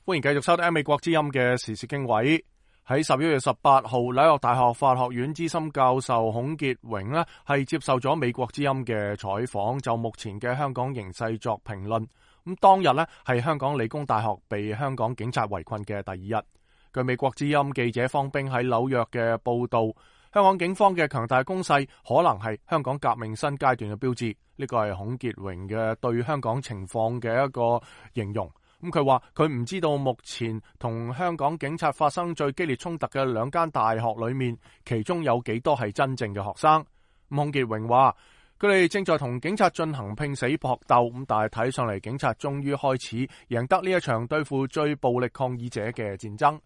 歡迎繼續收聽美國之音嘅時事經緯。喺11月18號，紐約大學法學院資深教授孔傑榮呢係接受咗美國之音嘅採訪，就目前嘅香港形勢作評論。咁當日呢係香港理工大學被香港警察圍困嘅第二日。據美國之音記者方冰喺紐約嘅報道，香港警方嘅強大攻勢可能係香港革命新階段嘅標誌。呢個係孔傑榮嘅對香港情況嘅一個形容。咁佢話佢唔知道目前同香港警察發生最激烈衝突嘅兩間大學裏面，其中有幾多係真正嘅學生。孔傑榮話佢哋正在同警察進行拼死搏鬥，咁但係睇上嚟警察終於開始贏得呢一場對付最暴力抗議者嘅戰爭。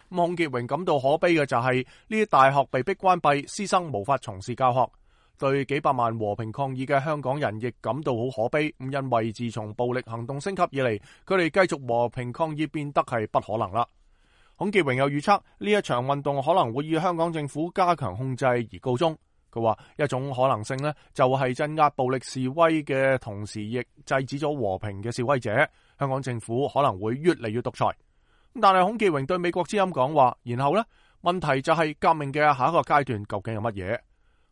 孔傑榮感到可悲嘅就係呢啲大學被逼關閉，師生無法從事教學。對幾百萬和平抗議嘅香港人亦感到好可悲，因為自從暴力行動升級以嚟，佢哋繼續和平抗議變得係不可能啦。孔傑榮又預測呢一場運動可能會以香港政府加強控制而告終。佢話一種可能性呢，就係鎮壓暴力示威嘅同時，亦制止咗和平嘅示威者。香港政府可能會越嚟越獨裁。但係孔傑榮對美國之音講話，然後呢，問題就係革命嘅下一個階段究竟有乜嘢？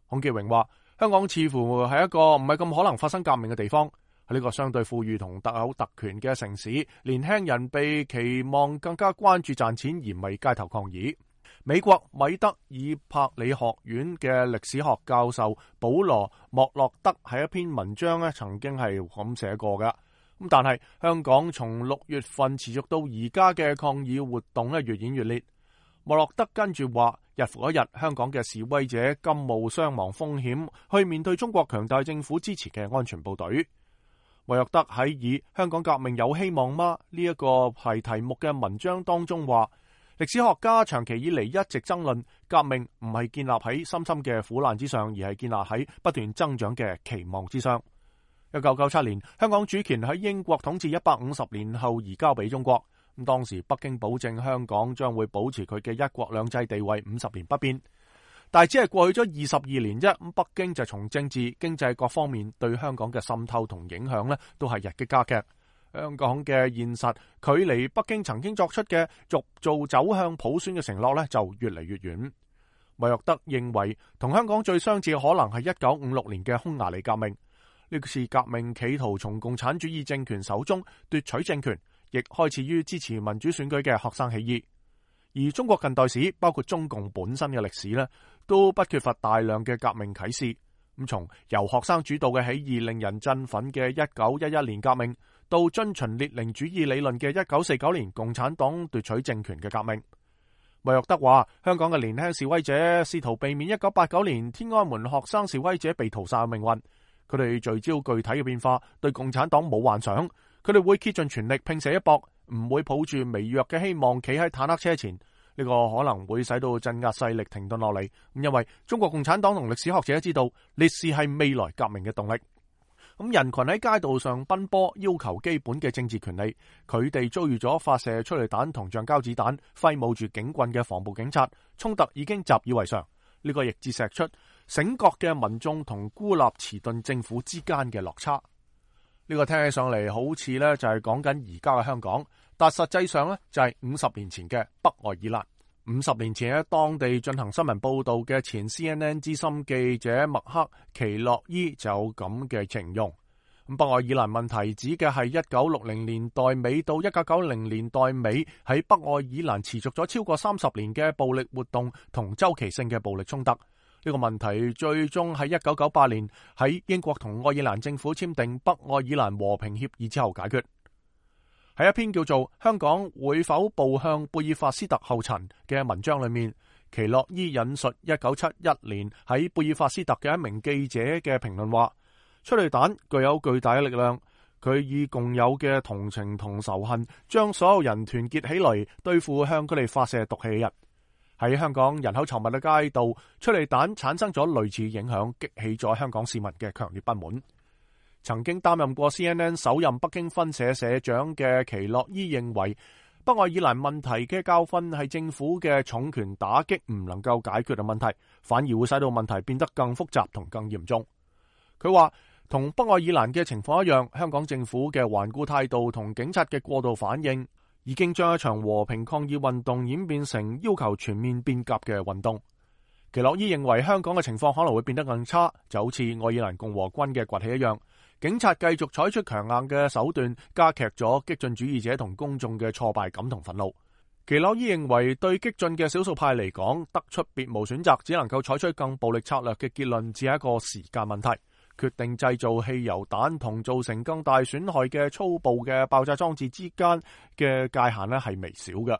孔傑榮話香港似乎係一個唔係咁可能發生革命嘅地方。喺呢個相對富裕同特有特權嘅城市，年輕人被期望更加關注賺錢而唔係街頭抗議。美國米德爾柏里學院嘅歷史學教授保羅莫洛德喺一篇文章咧，曾經係咁寫過㗎。咁但係香港從6月份持續到而家嘅抗議活動咧，越演越烈。莫洛德跟住話，日復一日，香港嘅示威者甘冒傷亡風險去面對中國強大政府支持嘅安全部隊。莫洛德喺以香港革命有希望嗎呢一個係題目嘅文章當中話，歷史學家長期以嚟一直爭論革命唔係建立喺深深嘅苦難之上，而係建立喺不斷增長嘅期望之上。1997年，香港主權喺英國統治150年後移交俾中國。咁當時北京保證香港將會保持佢嘅一國兩制地位50年不變，但係只係過去咗22年啫。咁北京就從政治、經濟各方面對香港嘅滲透同影響都係日益加劇。香港嘅現實距離北京曾經作出嘅逐步走向普選嘅承諾就越嚟越遠。莫洛德認為同香港最相似可能係1956年嘅匈牙利革命。呢次革命企圖從共產主義政權手中奪取政權，亦開始於支持民主選舉嘅學生起義。而中國近代史，包括中共本身嘅歷史都不缺乏大量嘅革命啟示。咁從由學生主導嘅起義令人振奮嘅1911年革命，到遵循列寧主義理論嘅1949年共產黨奪取政權嘅革命。莫洛德話，香港嘅年輕示威者試圖避免1989年天安門學生示威者被屠殺嘅命運。佢哋聚焦具體嘅變化，對共產黨冇幻想。佢哋會竭盡全力拼死一搏，唔會抱住微弱嘅希望企喺坦克車前。呢個可能會使到鎮壓勢力停頓落嚟。因為中國共產黨同歷史學者知道，烈士係未來革命嘅動力。人群喺街道上奔波，要求基本嘅政治權利。佢哋遭遇咗發射催淚彈同橡膠子彈、揮舞住警棍嘅防暴警察，衝突已經習以為常。呢個亦折射出醒覺嘅民眾同孤立遲鈍政府之間嘅落差。呢個聽起上嚟好似就係講緊而家嘅香港，但實際上就係50年前嘅北愛爾蘭。50年前喺當地進行新聞報道嘅前 CNN 資深記者麥克奇洛伊就有咁嘅形容。北愛爾蘭問題指嘅係1960年代尾到1990年代尾喺北愛爾蘭持續咗超過30年嘅暴力活動同周期性嘅暴力衝突。呢個問題最終喺1998年喺英國同愛爾蘭政府簽訂北愛爾蘭和平協議之後解決。喺一篇叫做《香港會否步向貝爾法斯特後塵》嘅文章裏面，奇洛伊引述1971年喺貝爾法斯特嘅一名記者嘅評論話，催淚彈具有巨大嘅力量，佢以共有嘅同情同仇恨將所有人團結起來對付向佢哋發射毒氣嘅人。喺香港人口稠密嘅街道，催淚彈產生咗類似影響，激起咗香港市民嘅強烈不滿。曾經擔任過 CNN 首任北京分社社長嘅奇洛伊認為，北愛爾蘭問題嘅教訓係政府嘅重拳打擊唔能夠解決嘅問題，反而會使到問題變得更複雜同更嚴重。佢話同北愛爾蘭嘅情況一樣，香港政府嘅頑固態度同警察嘅過度反應，已經將一場和平抗議運動演變成要求全面變革嘅運動。奇洛伊認為香港嘅情況可能會變得更差，就好似愛爾蘭共和軍嘅崛起一樣，警察繼續採取強硬嘅手段，加劇咗激進主義者同公眾嘅挫敗感同憤怒。奇洛伊認為對激進嘅少數派嚟講，得出別無選擇，只能夠採取更暴力策略嘅結論，只係一個時間問題。決定製造汽油彈同造成更大損害嘅粗暴嘅爆炸裝置之間嘅界限咧係微小嘅。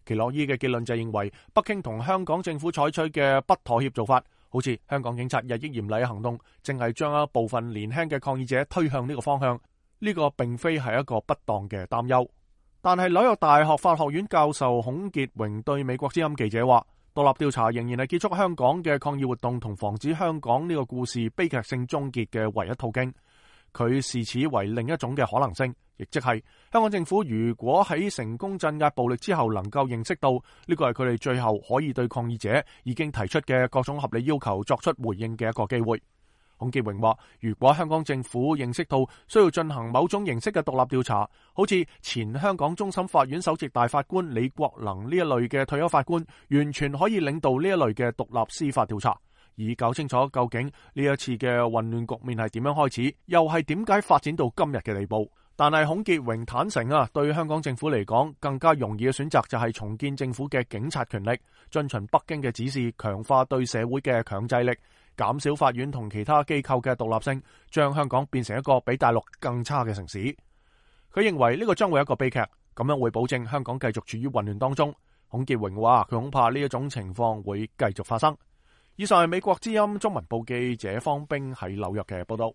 奇洛伊嘅結論就認為，北京同香港政府採取嘅不妥協做法，好似香港警察日益嚴厲嘅行動，正係將一部分年輕嘅抗議者推向呢個方向。呢個並非係一個不當嘅擔憂。但係紐約大學法學院教授孔傑榮對美國之音記者話，獨立調查仍然係結束香港嘅抗議活動同防止香港呢個故事悲劇性終結嘅唯一途徑。佢視此為另一種嘅可能性，亦即係香港政府如果喺成功鎮壓暴力之後能夠認識到呢個係佢哋最後可以對抗議者已經提出嘅各種合理要求作出回應嘅一個機會。孔傑榮話，如果香港政府認識到需要進行某種形式嘅獨立調查，好似前香港終審法院首席大法官李國能呢一類嘅退休法官，完全可以領導呢一類嘅獨立司法調查，以搞清楚究竟呢一次嘅混亂局面係點樣開始，又係點解發展到今日嘅地步。但係孔傑榮坦誠對香港政府嚟講，更加容易嘅選擇就係重建政府嘅警察權力，遵循北京嘅指示，強化對社會嘅強制力，減少法院同其他機構嘅獨立性，將香港變成一個比大陸更差嘅城市。佢認為呢個將會係一個悲劇，咁樣會保證香港繼續處於混亂當中。孔傑榮話，佢恐怕呢一種情況會繼續發生。以上係美國之音中文部記者方冰喺紐約嘅報道。